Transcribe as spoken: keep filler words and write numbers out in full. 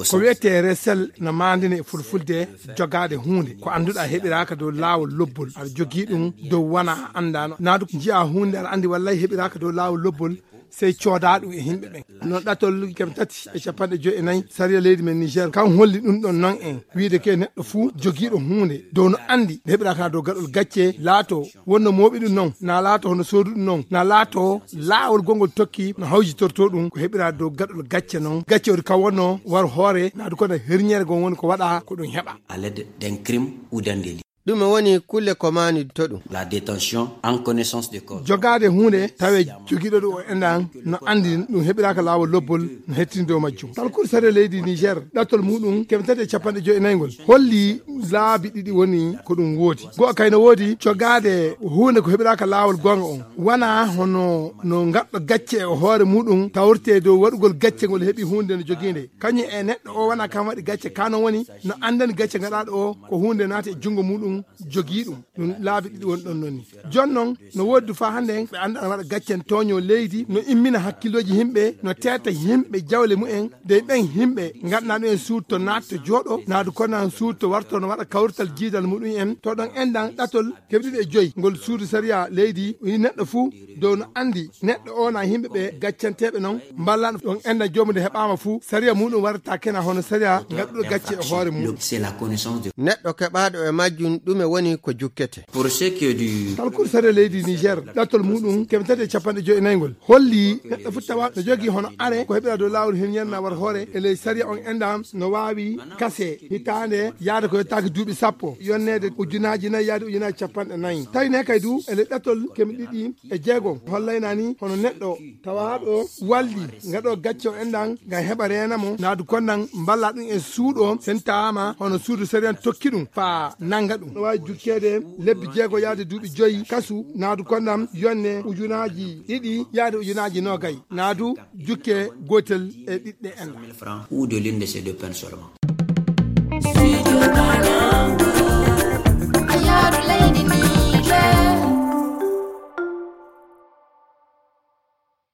Ko wiyetee resel no maandine e fulfulde jogaade huunde ko annduɗaa heɓiraaka dow laawol lobbol, aɗa jogii ɗum dow wona a anndaano, naadu njiyaa huunde aɗa anndi wallay heɓiraaka dow laawol lobbol, sey coodaa ɗum e yimɓe ɓen. Noon ɗatol keme tati e capanɗe joy e nayi sariya leydi men Niger kan holli ɗum ɗon noon en, wiide ke neɗɗo fuu jogiiɗo huunde dow no anndi nde heɓiraaka dow gaɗol gacce laato wonno mooɓi ɗum noon, na laato hono soodu ɗum noon, na laato laawol gongol tokki no hawjitorto ɗum ko heɓiraa dow gaɗol gacce noon. Gacce woni kan wonno war hoore naadu kono herñere gon woni ko waɗa ko ɗum heɓa. À l'aide d'un crime ou d'un délit. Ɗum woni kulle ko maani to ɗum. La détention en connaissance de cause. Jogaade huunde tawe jogiiɗo ɗum o enɗan no anndi ɗum heɓiraaka laawol lobbol no hettini dow majjum. Talkuru sariya leydi Niger ɗattol muɗum keme tati e capanɗe joy e nayngol holli laabi ɗiɗi woni ko ɗum woodi. Go'a kay no woodi jogaade huunde ko heɓiraaka laawol goonga on. Wona hono no gaɗɗo gacce e hoore muɗum tawrte dow waɗugol gacce ngol heɓi huunde no jogiinde. Kañum e neɗɗo o wona kam waɗi gacce ka no woni no anndani gacce gaɗaaɗo o ko huunde naati e junngo muɗum jogii ɗum. Ɗum laabi ɗiɗi woni ɗon noon ni. Jooni noon no woodi du faa hannde ɓe annda ana waɗa gaccen tooño leydi, no immina hakkillooji yimɓe, no teeta yimɓe jawle mumen, dey ɓen yimɓe ngannduɗaa ɗum en suudu to naatto jooɗo, naadu kono suudu to warto no waɗa kawrital jiidal muɗum en, to ɗon enɗan ɗatol keɓɗiɗo e joyi ngol suudu sariya leydi, yi neɗɗo fuu dow no anndi neɗɗo o na yimɓe ɓe gaccanteeɓe noon mballano ɗon enɗan joomude heɓaama fuu sariya muɗum warata kena hono sariya gaɗɗuɗo gacce e hoore muɗum. C'est la connaissance de. Neɗɗo keɓaaɗo e majjum ɗume woni ko jukkete. Pour ce qui est du. Talkuru sariya leydi Niger ɗattol muɗum keme tati e capanɗe joyi e nayngol holli neɗɗo fuu tawa no jogii hono are ko heɓira dow laawol hirñere na war hoore e ley sariya on enɗan no waawi kase hitaande yaade ko yettaaki duuɓi sappo yonneede ujunaaji nayi yaade ujunaaji capanɗe nayi. Tawi ne kay du e ley ɗattol keme ɗiɗi e jeego hollayna ni hono neɗɗo tawaaɗo walli gaɗo gacce o enɗan ngam heɓa reena mo naadu konnan mballa ɗum e suuɗo sen tawaama hono suudu sariyan tokki ɗum faa nannga ɗum no waawi jukkeede lebbi jeego yaade duuɓi joyi kasu naadu konnan yonne ujunaaji ɗiɗi yaade ujunaaji noogay naadu jukke gootel e ɗiɗɗe enɗan. Ou de l'une de ces deux peines seulement.